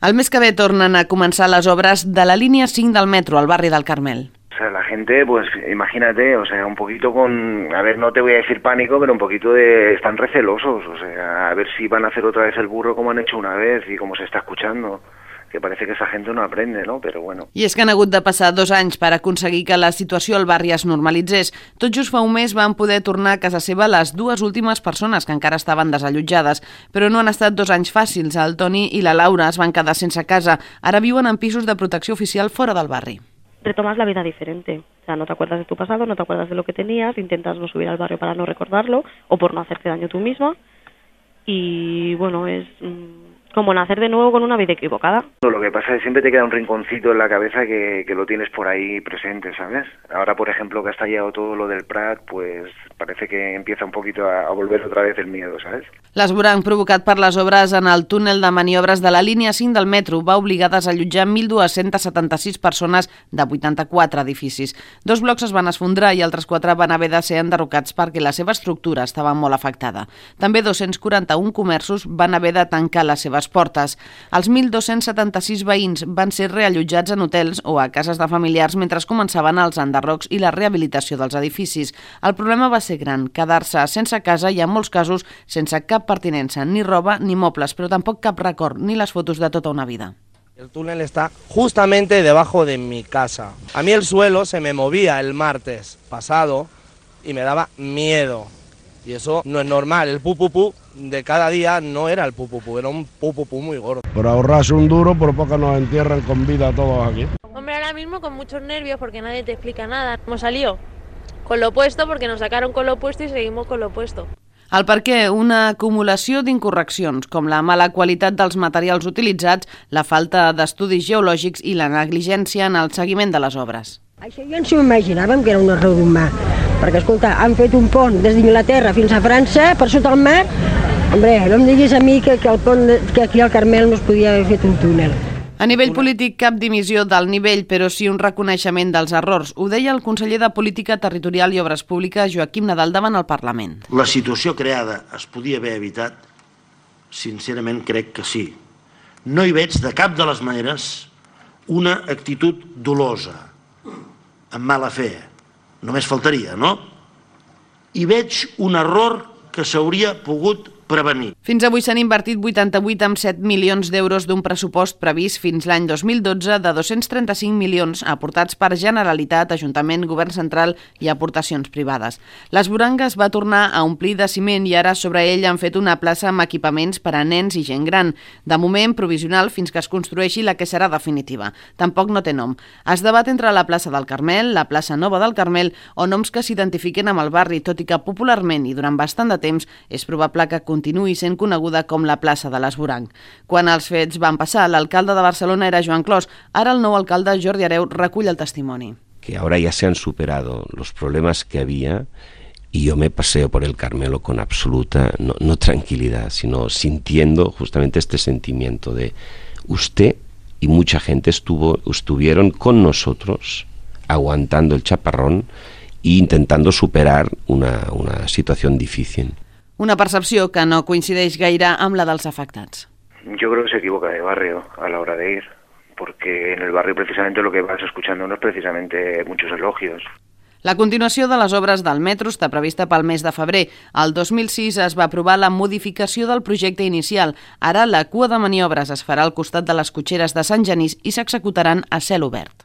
El mes que ve tornen a començar les obres de la línia 5 del metro al barri del Carmel. O sea, la gente, pues imagínate, o sea, un poquito con, a ver, no te voy a decir pánico, pero un poquito están recelosos, o sea, a ver si van a hacer otra vez el burro como han hecho una vez y como se está escuchando, que parece que esa gente no aprende, no? Però bueno. I és que han hagut de passar 2 anys per aconseguir que la situació al barri es normalitzés. Tot just fa un mes van poder tornar a casa seva les 2 últimes persones que encara estaven desallotjades, però no han estat 2 anys fàcils. El Toni i la Laura es van quedar sense casa. Ara viuen en pisos de protecció oficial fora del barri. Retomas la vida diferente. O sea, no te acuerdas de tu pasado, no te acuerdas de lo que tenías, intentas no subir al barrio para no recordarlo o por no hacerte daño tú misma. Y bueno, es como nacer de nuevo con una vida equivocada. Lo que pasa es que siempre te queda un rinconcito en la cabeza que lo tienes por ahí presente, ¿sabes? Ahora, por ejemplo, que ha estallado todo lo del Prat, pues parece que empieza un poquito a volver otra vez el miedo, ¿sabes? L'esborrany provocat per les obres en el túnel de maniobres de la línia 5 del metro va obligar a desallotjar 1.276 persones de 84 edificis. 2 blocs es van esfondrar i altres 4 van haver de ser enderrocats perquè la seva estructura estava molt afectada. També 241 comerços van haver de tancar les seves portes. Els 1.276 veïns van ser reallotjats en hotels o a cases de familiars mentre començaven els enderrocs i la rehabilitació dels edificis. El problema va ser gran, quedar-se sense casa i en molts casos sense cap pertinença, ni roba ni mobles, però tampoc cap record, ni les fotos de tota una vida. El túnel está justamente debajo de mi casa. A mí el suelo se me movía el martes pasado y me daba miedo. Y eso no es normal. El pupupú de cada día no era el pupupú, era un pupupú muy gordo. Por ahorrarse un duro, por poco nos entierran con vida a todos aquí. Hombre, ahora mismo con muchos nervios porque nadie te explica nada. Hemos salido con lo opuesto porque nos sacaron con lo opuesto y seguimos con lo opuesto. El per què? Una acumulació d'incorreccions, com la mala qualitat dels materials utilitzats, la falta d'estudis geològics i la negligència en el seguiment de les obres. Això ja ens ho imaginàvem que era un error humà, perquè, escolta, han fet un pont des d'Inglaterra fins a França, per sota el mar. Hombre, no em diguis a mi que aquí al Carmel no es podia haver fet un túnel. A nivell polític, cap dimissió del nivell, però sí un reconeixement dels errors. Ho deia el conseller de Política Territorial i Obres Públiques, Joaquim Nadal, davant el Parlament. La situació creada es podia haver evitat? Sincerament, crec que sí. No hi veig de cap de les maneres una actitud dolosa, amb mala fe. Només faltaria, no? Hi veig un error que s'hauria pogut prevenir. Fins avui s'han invertit 88,7 milions d'euros d'un pressupost previst fins l'any 2012 de 235 milions aportats per Generalitat, Ajuntament, Govern Central i aportacions privades. L'esborang es va tornar a omplir de ciment i ara sobre ell han fet una plaça amb equipaments per a nens i gent gran. De moment, provisional fins que es construeixi la que serà definitiva. Tampoc no té nom. Es debat entre la plaça del Carmel, la plaça Nova del Carmel o noms que s'identifiquen amb el barri, tot i que popularment i durant bastant de temps és probable que continuï sent coneguda com la plaça de l'Esborang. Quan els fets van passar, l'alcalde de Barcelona era Joan Clos. Ara el nou alcalde, Jordi Hereu, recull el testimoni. Que ahora ya se han superado los problemas que había y yo me paseo por el Carmelo con absoluta, no tranquilidad, sino sintiendo justamente este sentimiento de usted y mucha gente estuvieron con nosotros aguantando el chaparrón e intentando superar una situación difícil. Una percepció que no coincideix gaire amb la dels afectats. Yo creo que se equivoca de barrio a la hora de ir, porque en el barrio precisamente lo que vas escuchando no es precisamente muchos elogios. La continuació de les obres del metro està prevista pel mes de febrer. El 2006 es va aprovar la modificació del projecte inicial. Ara la cua de maniobres es farà al costat de les cotxeres de Sant Genís i s'executaran a cel obert.